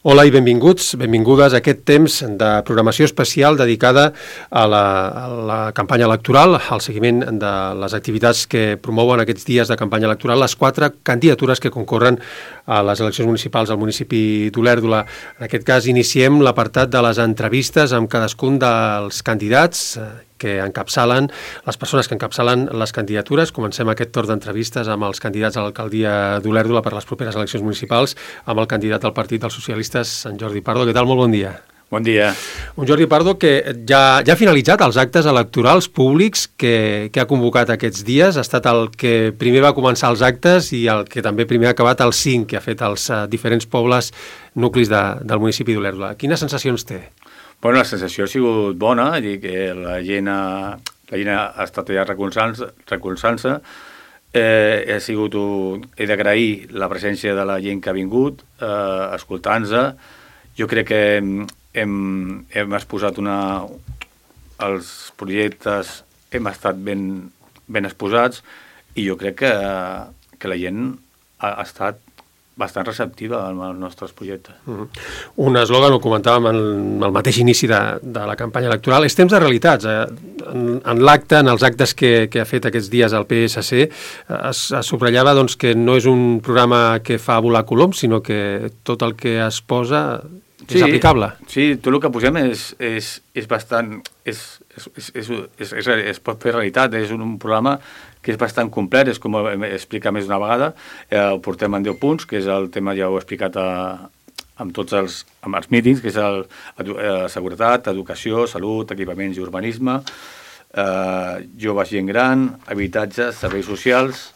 Hola i benvingudes a aquest temps de programació especial dedicada a la campanya electoral, al seguiment de les activitats que promouen aquests dies de campanya electoral, les 4 candidatures que concorren a les eleccions municipals al municipi d'Olèrdola. En aquest cas iniciem l'apartat de les entrevistes amb cadascun dels candidats que encapçalen, les persones que encapçalen les candidatures. Comencem aquest torn d'entrevistes amb els candidats a l'alcaldia d'Olèrdola per les properes eleccions municipals, amb el candidat al Partit dels Socialistes, en Jordi Pardo. Què tal? Molt bon dia. Bon dia. Un Jordi Pardo que ja ha finalitzat els actes electorals públics que ha convocat aquests dies. Ha estat el que primer va començar els actes i el que també primer ha acabat el 5, que ha fet als diferents pobles nuclis del municipi d'Olèrdola. Quines sensacions té? Bueno, la sensació ha sigut bona, que la gent ha estat allà recolzant-se. He d'agrair la presència de la gent que ha vingut, escoltant-se. Jo crec que hem exposat els projectes, hem estat ben exposats i jo crec que la gent ha estat bastant receptiva als nostres projectes. Un eslògan, ho comentàvem al mateix inici de la campanya electoral, és temps de realitats. En l'acte, en els actes que ha fet aquests dies el PSC, es subratllava que no és un programa que fa volar coloms, sinó que tot el que es posa és aplicable. Sí, tot el que posem és bastant... es pot fer realitat, és un programa que és bastant complet, és com explicar més d'una vegada, ho portem en 10 punts, que és el tema, ja ho he explicat amb els mítings, que és seguretat, educació, salut, equipaments i urbanisme, joves, gent gran, habitatges, serveis socials,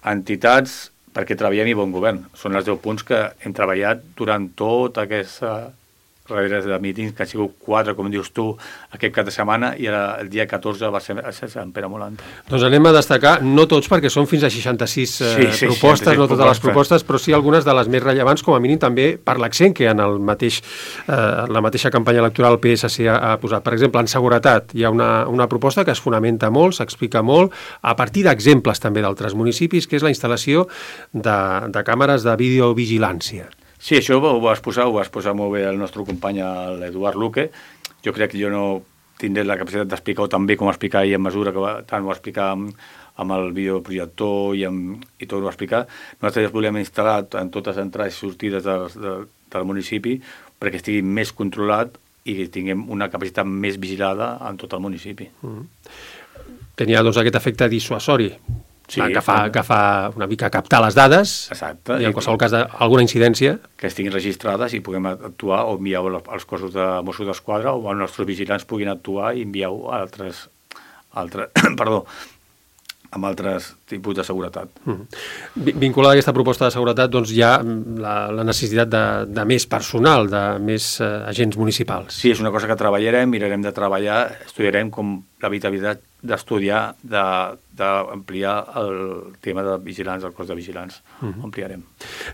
entitats, perquè treballem i bon govern. Són els 10 punts que hem treballat durant tota aquesta darrere de mítings, que han sigut 4, com dius tu, aquest cap de setmana, i el dia 14 va ser a Sant Pere Molant. Doncs anem a destacar, no tots, perquè són fins a 66 propostes, no totes les propostes, però sí algunes de les més rellevants, com a mínim també per l'accent que en la mateixa campanya electoral el PSC ha posat. Per exemple, en seguretat hi ha una proposta que es fonamenta molt, s'explica molt, a partir d'exemples també d'altres municipis, que és la instal·lació de càmeres de videovigilància. Sí, això ho va exposar molt bé el nostre company, l'Eduard Luque. Jo crec que jo no tindré la capacitat d'explicar-ho tan bé com explicar ell en mesura que tant ho va explicar amb el videoprojector i tot ho va explicar. Nosaltres volem instal·lar en totes les entrades i sortides del municipi perquè estigui més controlat i tinguem una capacitat més vigilada en tot el municipi. Tenia aquest efecte dissuasori. Sí, que fa una mica captar les dades. Exacte. I en qualsevol cas d'alguna incidència que estiguin registrades i puguem actuar o enviar als cossos de Mossos d'Esquadra o els nostres vigilants puguin actuar i enviar-ho a amb altres tipus de seguretat. Vinculada a aquesta proposta de seguretat, doncs hi ha la necessitat de més personal, de més agents municipals. Sí, és una cosa que treballarem, mirarem de treballar, estudiarem com l'habitabilitat d'estudiar, d'ampliar el tema de vigilants, el cos de vigilants, ampliarem.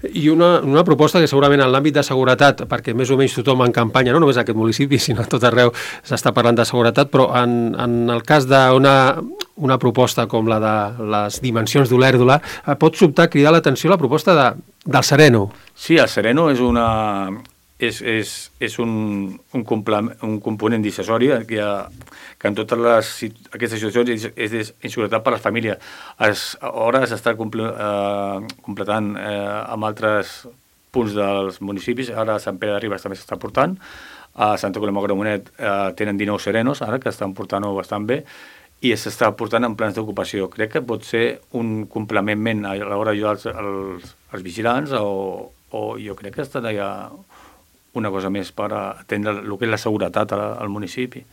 I una proposta que segurament en l'àmbit de seguretat, perquè més o menys tothom en campanya, no només en aquest municipi, sinó a tot arreu s'està parlant de seguretat, però en el cas d'una proposta com la de les dimensions d'Olèrdola, pot sobtar cridar l'atenció la proposta del Sereno. Sí, el Sereno és un component dissuasori que en totes aquestes situacions és inseguretat per a les famílies. Ara s'està completant amb altres punts dels municipis. Ara a Sant Pere de Ribes també s'està portant. A Santa Coloma de Gramenet tenen 19 Serenos, ara que estan portant-ho bastant bé, i s'està portant en plans d'ocupació. Crec que pot ser un complement a l'hora d'ajudar els vigilants o jo crec que està allà una cosa més per atendre el que és la seguretat al municipi.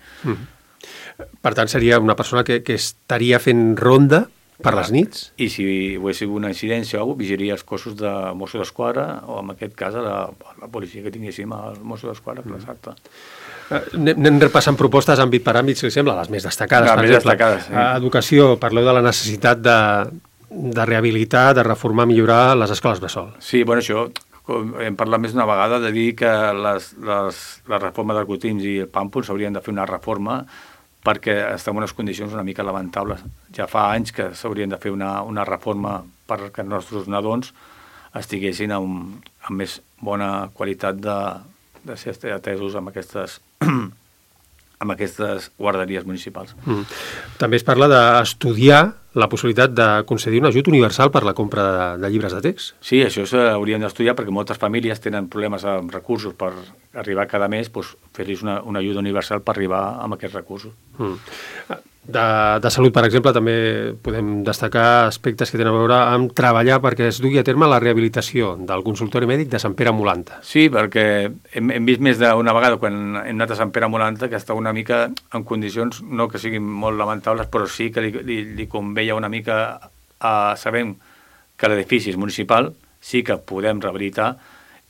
Per tant, seria una persona que estaria fent ronda per les nits? I si ho hagués sigut una incidència o alguna cosa, vigilaria els cossos de Mossos d'Esquadra o en aquest cas a la policia que tinguéssim als Mossos d'Esquadra, exacte. Anem repassant propostes àmbit per àmbit, si li sembla, les més destacades. Les més destacades, sí. Educació, parleu de la necessitat de rehabilitar, de reformar, millorar les escoles bressol. Sí, bueno, això hem parlat més d'una vegada de dir que la reforma dels Gotins i el Pàmpol s'haurien de fer una reforma perquè estem en unes condicions una mica lamentables. Ja fa anys que s'haurien de fer una reforma perquè els nostres nadons estiguessin amb més bona qualitat de ser atesos amb aquestes guarderies municipals. També es parla d'estudiar la possibilitat de concedir un ajut universal per la compra de llibres de text. Sí, això s'haurien d'estudiar perquè moltes famílies tenen problemes amb recursos per arribar cada mes, doncs fer-los una ajuda universal per arribar amb aquests recursos. De salut, per exemple, també podem destacar aspectes que tenen a veure amb treballar perquè es dugui a terme la rehabilitació del consultori mèdic de Sant Pere Molanta. Sí, perquè hem vist més d'una vegada quan hem anat a Sant Pere Molanta que està una mica en condicions, no que siguin molt lamentables, però sí que li conveia una mica sabem que l'edifici és municipal, sí que podem rehabilitar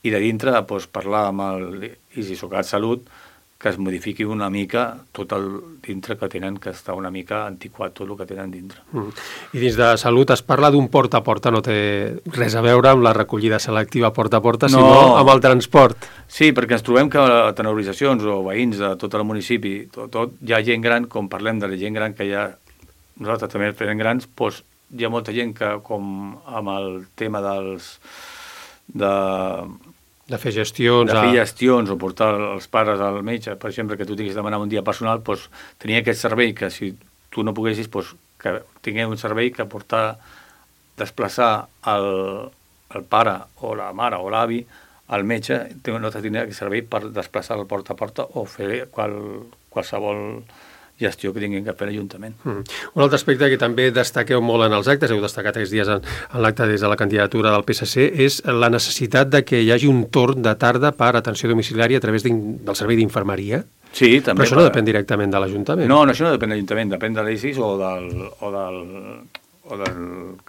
i de dintre doncs, parlar amb l'ISISOCAT Salut que es modifiqui una mica tot el dintre que tenen, que està una mica antiquat tot el que tenen dintre. I dins de salut es parla d'un porta a porta, no té res a veure amb la recollida selectiva porta a porta, sinó amb el transport. Sí, perquè ens trobem que tant organitzacions o veïns de tot el municipi, hi ha gent gran, com parlem de la gent gran que hi ha, nosaltres també fem grans, doncs hi ha molta gent que, com amb el tema de fer gestions. De fer gestions o portar els pares al metge, per exemple, que tu tinguis de demanar un dia personal, doncs tenia aquest servei que si tu no poguessis, doncs que tingués un servei que desplaçar el pare o la mare o l'avi al metge, no tindria aquest servei per desplaçar el porta a porta o fer qualsevol gestió que tinguin que fer l'Ajuntament. Un altre aspecte que també destaqueu molt en els actes, heu destacat aquests dies en l'acte des de la candidatura del PSC, és la necessitat de que hi hagi un torn de tarda per atenció domiciliària a través del servei d'infermeria. Sí, també. Però això no depèn directament de l'Ajuntament. No, això no depèn de l'Ajuntament, depèn de l'ISIS o del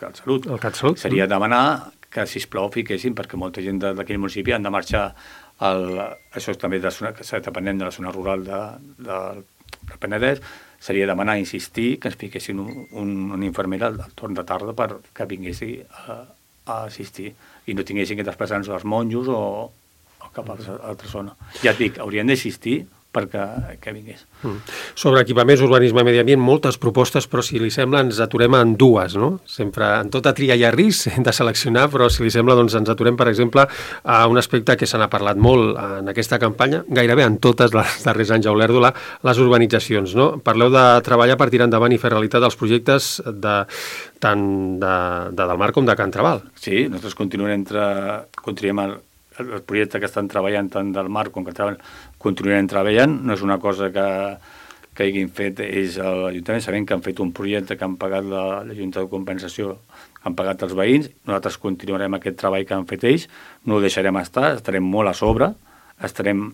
CatSalut. El CatSalut. Seria demanar que, sisplau, fiquessin, perquè molta gent d'aquell municipi han de marxar, això també depenent de la zona rural del Penedès, seria demanar, insistir, que ens fiquessin una infermera al torn de tarda perquè vinguessi a assistir i no tinguessin que desplaçar-nos als monjos o cap a altra zona. Ja et dic, haurien d'assistir perquè vingués. Sobre equipaments, urbanisme i medi ambient, moltes propostes, però si li sembla ens aturem en dues, no? Sempre en tota tria hi ha risc, hem de seleccionar, però si li sembla doncs ens aturem, per exemple, a un aspecte que se n'ha parlat molt en aquesta campanya, gairebé en totes les darrers anys a Olèrdola, les urbanitzacions, no? Parleu de treballar per tirar endavant i fer realitat els projectes tant de Delmar com de Can Trabal. Sí, nosaltres continuem el projecte que estan treballant tant del Mar com que continuarem treballant. No és una cosa que hagin fet ells a l'Ajuntament. Sabem que han fet un projecte que han pagat la Junta de Compensació, que han pagat els veïns. Nosaltres continuarem aquest treball que han fet ells. No ho deixarem estar, estarem molt a sobre, estarem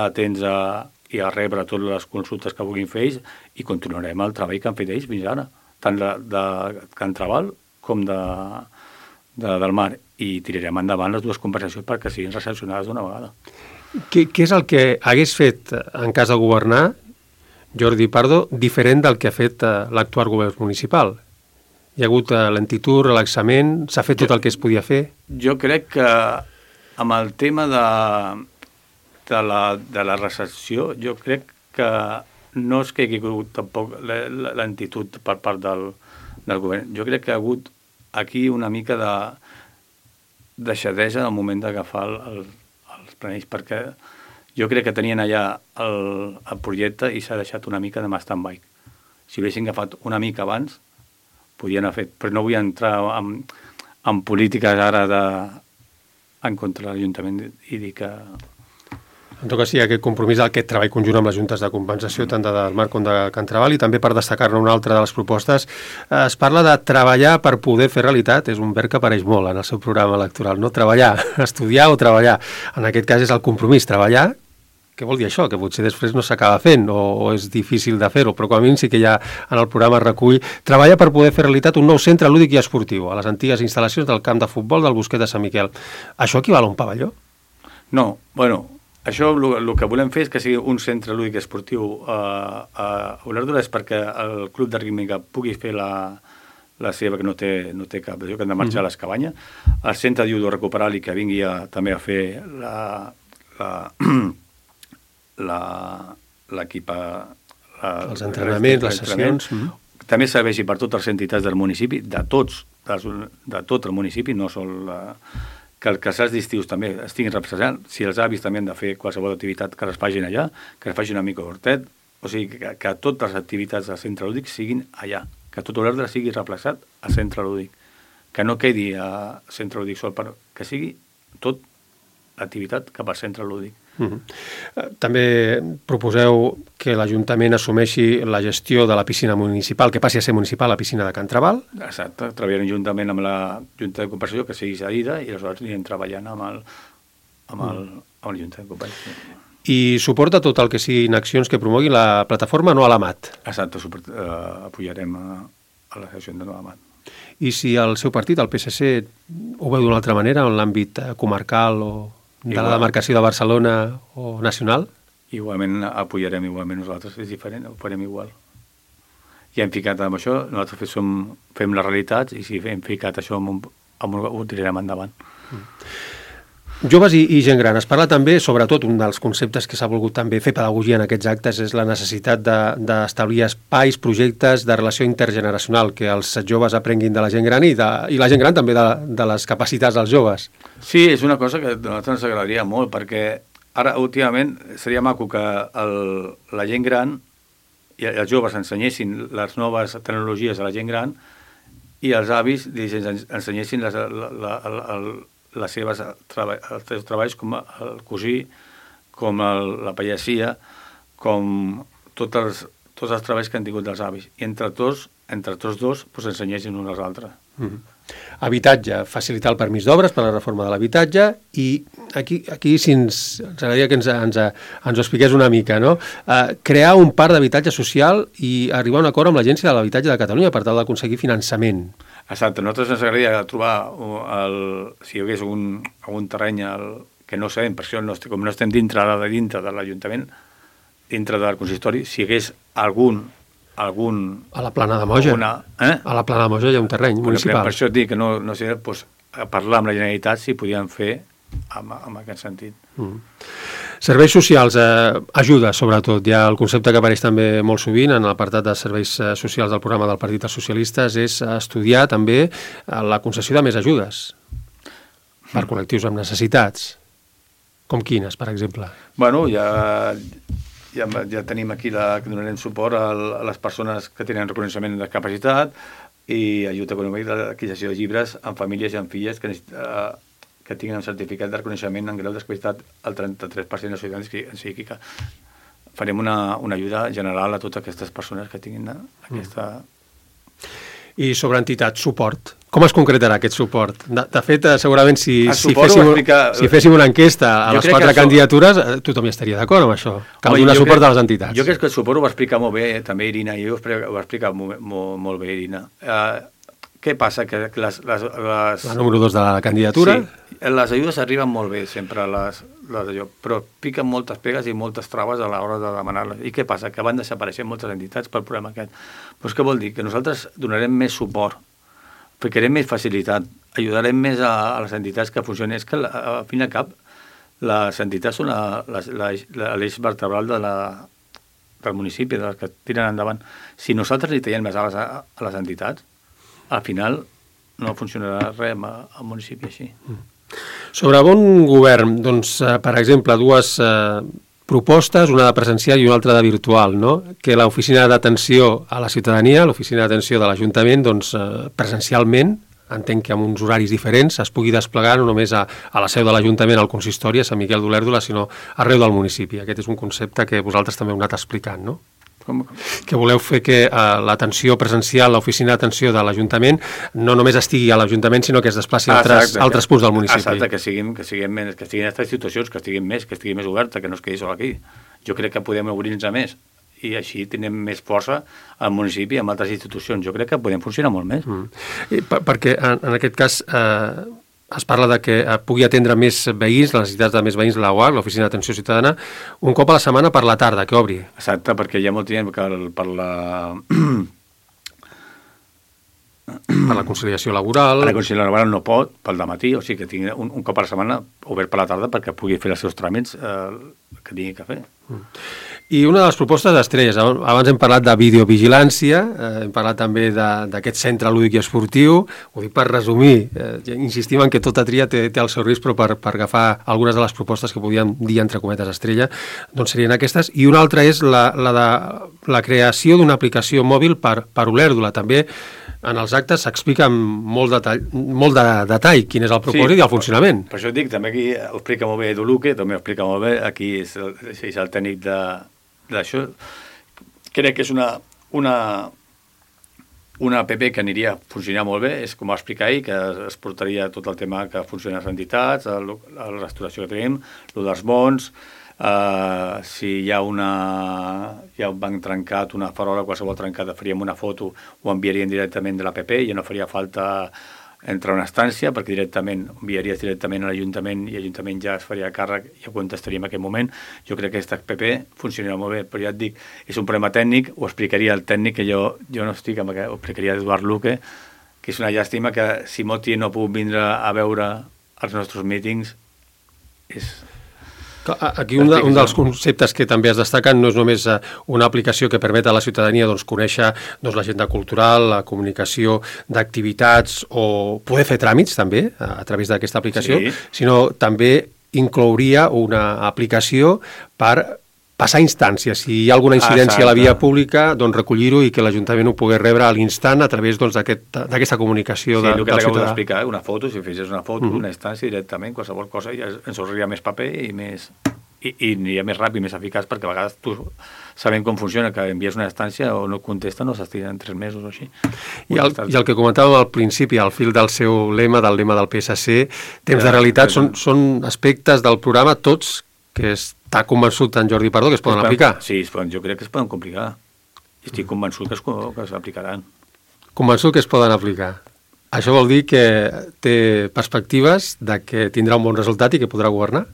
atents i a rebre totes les consultes que vulguin fer ells i continuarem el treball que han fet ells fins ara, tant de Can Trabal com del Mar, i tirarem endavant les dues compensacions perquè siguin recepcionades d'una vegada. Què és el que hagués fet en cas de governar Jordi Pardo diferent del que ha fet l'actual govern municipal? Hi ha hagut lentitud, relaxament, s'ha fet tot el que es podia fer? Jo crec que amb el tema de la recepció, jo crec que no és que hi hagi hagut tampoc lentitud per part del govern. Jo crec que ha hagut aquí una mica de deixadesa al moment d'agafar els planells, perquè jo crec que tenien allà el projecte i s'ha deixat una mica de stand-by. Si ho haguessin agafat una mica abans, podien haver fet, però no vull entrar en polítiques ara en contra de l'Ajuntament i dir que... En tot cas, sí, aquest compromís d'aquest treball conjunt amb les juntes de compensació, tant de Delmar com de Can Trabal, i també per destacar-ne una altra de les propostes, es parla de treballar per poder fer realitat, és un verb que apareix molt en el seu programa electoral, no? Treballar, estudiar o treballar. En aquest cas és el compromís, treballar. Què vol dir això? Que potser després no s'acaba fent o és difícil de fer-ho, però com a mínim sí que ja en el programa recull treballar per poder fer realitat un nou centre lúdic i esportiu a les antigues instal·lacions del camp de futbol del Bosquet de Sant Miquel. Això equival a un pavelló? No, bueno... Això el que volem fer és que sigui un centre lúdic esportiu a Olèrdola, és perquè el club de rítmica pugui fer la seva, que no té cap, que han de marxar a les cabanyes. El centre de judo recuperar i que vingui també a fer els entrenaments, les sessions. També serveixi per totes les entitats del municipi, de tots de tot el municipi, no sol que els casals d'estius també estiguin representant, si els avis també han de fer qualsevol activitat que les facin allà, que es faci una mica d'hortet, o sigui, que totes les activitats del centre lúdic siguin allà, que tot l'ordre sigui replaçat al centre lúdic, que no quedi a centre lúdic sol, però que sigui tot l'activitat cap al centre lúdic. També proposeu que l'Ajuntament assumeixi la gestió de la piscina municipal, que passi a ser municipal la piscina de Can Trabal. Exacte, treballarem juntament amb la Junta de Compensació, que sigui cedida, i aleshores anirem treballant amb la Junta de Compensació. I suporta tot el que siguin accions que promogui la plataforma No a l'Amat. Exacte, apoyarem a l'associació de No a l'Amat. I si el seu partit, el PSC, ho veu d'una altra manera, en l'àmbit comarcal o de la demarcació de Barcelona o nacional? Igualment apoyarem igualment nosaltres, és diferent, ho farem igual. Ja hem ficat amb això, nosaltres fem les realitats i si hem ficat això ho tirarem endavant. Joves i gent gran. Es parla també, sobretot, un dels conceptes que s'ha volgut també fer pedagogia en aquests actes és la necessitat d'establir espais, projectes de relació intergeneracional, que els joves aprenguin de la gent gran i la gent gran també de les capacitats dels joves. Sí, és una cosa que a nosaltres ens agradaria molt, perquè ara, últimament, seria maco que la gent gran i els joves ensenyessin les noves tecnologies a la gent gran i els avis ensenyessin els seus treballs com el cosí, com la pallasia, com tots els treballs que han tingut dels avis. I entre tots dos ensenyessin un als altres. Habitatge, facilitar el permís d'obres per a la reforma de l'habitatge i aquí si ens agradaria que ens ho expliqués una mica, no? Crear un parc d'habitatge social i arribar a un acord amb l'Agència de l'Habitatge de Catalunya per tal d'aconseguir finançament. Exacte, a nosaltres ens agradaria trobar si hi hagués algun terreny que no sabem, per això com no estem dintre de l'Ajuntament, dintre del consistori, si hi hagués algun... A la Plana de Moja. A la Plana de Moja hi ha un terreny municipal. Per això et dic que no sé, parlar amb la Generalitat si podien fer en aquest sentit. Serveis socials, ajuda, sobretot. Hi ha el concepte que apareix també molt sovint en l'apartat de serveis socials del programa del Partit dels Socialistes, és estudiar també la concessió de més ajudes per col·lectius amb necessitats. Com quines, per exemple? Bueno, ja tenim aquí que donarem suport a les persones que tenen reconeixement de capacitat i ajuda econòmica de l'adquisició de llibres amb famílies i amb filles que tinguin un certificat de reconeixement en grau de discapacitat al 33% dels ciutadans, o sigui que farem una ajuda general a totes aquestes persones que tinguin aquesta... I sobre entitats, suport. Com es concretarà aquest suport? De fet, segurament si féssim una enquesta a les 4 candidatures, tothom hi estaria d'acord amb això. Cal donar suport a les entitats. Jo crec que el suport ho va explicar molt bé també Irina, i ho va explicar molt bé Irina. Què passa? Que la número 2 de la candidatura? Sí, les ajudes arriben molt bé sempre, però piquen moltes pegues i moltes traves a l'hora de demanar-les. I què passa? Que van desapareixent moltes entitats pel problema aquest. Però què vol dir? Que nosaltres donarem més suport, ficarem més facilitat, ajudarem més a les entitats que funcionin. És que, al fin i al cap, les entitats són l'eix vertebral del municipi, de les que tiren endavant. Si nosaltres li tallem més a les entitats, al final no funcionarà res al municipi així. Sobre bon govern, doncs, per exemple, dues propostes, una de presencial i una altra de virtual, no? Que l'oficina d'atenció a la ciutadania, l'oficina d'atenció de l'Ajuntament, doncs, presencialment, entenc que amb uns horaris diferents, es pugui desplegar no només a la seu de l'Ajuntament, al consistori, a Sant Miquel d'Olèrdola, sinó arreu del municipi. Aquest és un concepte que vosaltres també heu anat explicant, no? Que voleu fer que l'atenció presencial, l'oficina d'atenció de l'Ajuntament, no només estigui a l'Ajuntament, sinó que es desplaci a altres punts del municipi. Exacte, que siguin aquestes institucions, que estigui més oberta, que no es quedi sol aquí. Jo crec que podem obrir-nos a més, i així tenim més força al municipi i amb altres institucions. Jo crec que podem funcionar molt més. Perquè en aquest cas es parla de que pugui atendre més veïns, les necessitats de més veïns de l'OAC, l'Oficina d'Atenció Ciutadana, un cop a la setmana per la tarda, que obri. Exacte, perquè hi ha molt gent que per la conciliació laboral. La conciliació laboral no pot, pel dematí, o sigui que tingui un cop a la setmana obert per la tarda perquè pugui fer els seus tràmits que tingui que fer. I una de les propostes estrelles, abans hem parlat de videovigilància, hem parlat també d'aquest centre lúdic i esportiu, ho dic per resumir, insistim en que tota tria té el seu risc, però per agafar algunes de les propostes que podíem dir entre cometes estrella, doncs serien aquestes, i una altra és la creació d'una aplicació mòbil per Olèrdola. També en els actes s'explica amb molt de detall quin és el propòsit i el funcionament. Per això dic, també aquí ho explica molt bé Edu Luque, també ho explica molt bé, aquí és el tècnic d'això. Crec que és una app que aniria a funcionar molt bé, és com va explicar ell, que es portaria tot el tema que funcionen les entitats, la restauració que tenim, el dels bons, si hi ha un banc trencat, una farola, qualsevol trencada, faríem una foto, ho enviarien directament de l'app, ja no faria falta entrar a una estància, perquè enviaries directament a l'Ajuntament i l'Ajuntament ja es faria càrrec i ja contestaria en aquell moment. Jo crec que aquesta app funcionarà molt bé, però ja et dic, és un problema tècnic, ho explicaria el tècnic, que jo no estic amb aquest, ho explicaria Eduard Luque, que és una llàstima que si Moti no ha pogut vindre a veure els nostres mítings, és... Aquí un dels conceptes que també es destaquen no és només una aplicació que permet a la ciutadania conèixer l'agenda cultural, la comunicació d'activitats o poder fer tràmits també a través d'aquesta aplicació, sinó també inclouria una aplicació per passar instàncies. Si hi ha alguna incidència a la via pública, doncs recollir-ho i que l'Ajuntament ho pogués rebre a l'instant a través d'aquesta comunicació del ciutadà. Sí, el que acabo d'explicar, una foto, si fessis una foto, una instància directament, qualsevol cosa, ja ens sorriria més paper i aniria més ràpid, més eficaç, perquè a vegades tu sabem com funciona, que envies una instància o no contesta, no s'estiren 3 mesos o així. I el que comentàvem al principi, al fil del seu lema, del lema del PSC, temps de realitat, són aspectes del programa tots que està convençut en Jordi Pardo que es poden aplicar. Sí, jo crec que es poden complicar. Estic convençut que s'aplicaran. Convençut que es poden aplicar. Això vol dir que té perspectives de que tindrà un bon resultat i que podrà governar?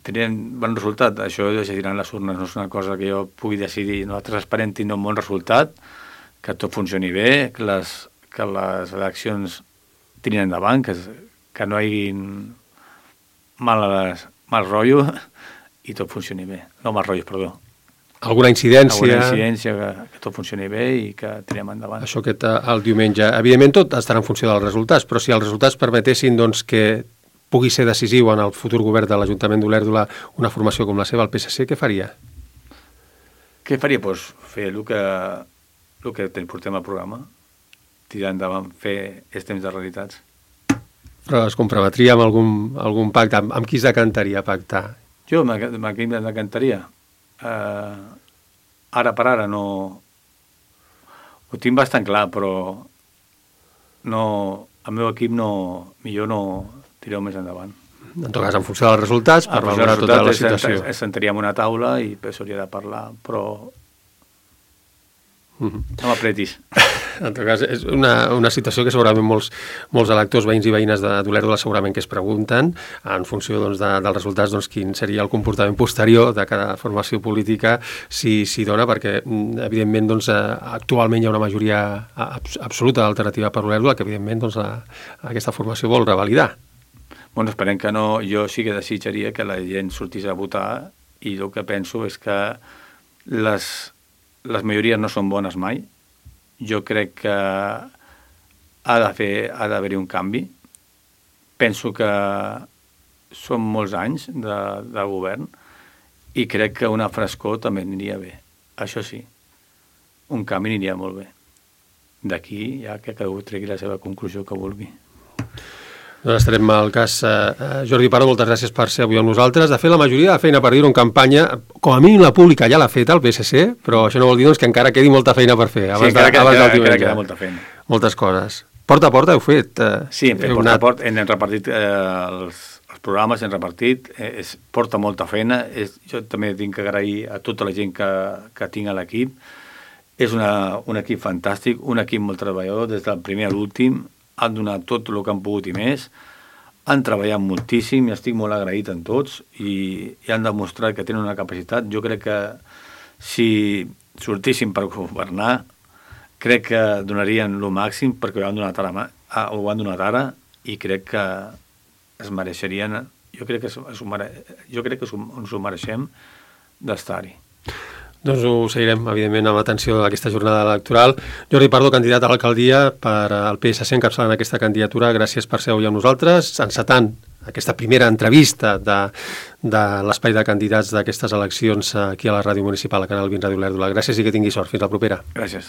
Tenien bon resultat. Això ho decidiran les urnes. No és una cosa que jo pugui decidir. Nosaltres esperem tenir un bon resultat, que tot funcioni bé, que les eleccions tirin endavant, que no hi hagi mal rotllo i tot funcioni bé. No mal rotllo, perdó. Alguna incidència, que tot funcioni bé i que tirem endavant. Això el diumenge. Evidentment tot estarà en funció dels resultats, però si els resultats permetessin que pugui ser decisiu en el futur govern de l'Ajuntament d'Olèrdola una formació com la seva, el PSC, què faria? Què faria? Doncs fer el que portem al programa, tirar endavant, fer els temps de realitats. Però es comprometria amb algun pacte? Amb qui es decantaria a pactar? Jo amb qui em decantaria? Ara per ara no... Ho tinc bastant clar, però el meu equip millor no tireu més endavant. En tot cas, en funció dels resultats, per valorar tota la situació. Ens sentaríem a una taula i s'hauria de parlar, però no m'apretis. En tot cas, és una situació que segurament molts electors, veïns i veïnes d'Olèrdola segurament que es pregunten, en funció dels resultats, quin seria el comportament posterior de cada formació política si dona, perquè evidentment actualment hi ha una majoria absoluta d'alternativa per Olèrdola que evidentment aquesta formació vol revalidar. Bueno, esperem que no. Jo sí que desitjaria que la gent sortís a votar i el que penso és que les majories no són bones mai. Jo crec que ha d'haver-hi un canvi. Penso que són molts anys de govern i crec que una frescor també aniria bé. Això sí, un canvi aniria molt bé. D'aquí ja que cadascú tregui la seva conclusió que vulgui. Doncs estarem al cas. Jordi Pardo, moltes gràcies per ser avui amb nosaltres. De fet, la majoria de feina per dir-ho en campanya, com a mínim la pública ja l'ha fet el PSC, però això no vol dir que encara quedi molta feina per fer. Encara queda molta feina. Moltes coses. Porta a porta heu fet? Sí, hem fet porta a porta, hem repartit els programes, hem repartit, porta molta feina. Jo també tinc que agrair a tota la gent que tinc a l'equip. És un equip fantàstic, un equip molt treballador, des del primer a l'últim, han donat tot el que han pogut i més, han treballat moltíssim i estic molt agraït en tots i han demostrat que tenen una capacitat. Jo crec que si sortissin per governar, crec que donarien el màxim perquè ho han donat ara i crec que es mereixerien, jo crec que ens ho mereixem d'estar-hi. Doncs ho seguirem, evidentment, amb atenció d'aquesta jornada electoral. Jordi Pardo, candidat a l'alcaldia per al PSC, encapçalant aquesta candidatura. Gràcies per ser avui amb nosaltres, encetant aquesta primera entrevista de l'espai de candidats d'aquestes eleccions aquí a la Ràdio Municipal, a Canal 20 Ràdio Olèrdola. Gràcies i que tingui sort. Fins la propera. Gràcies.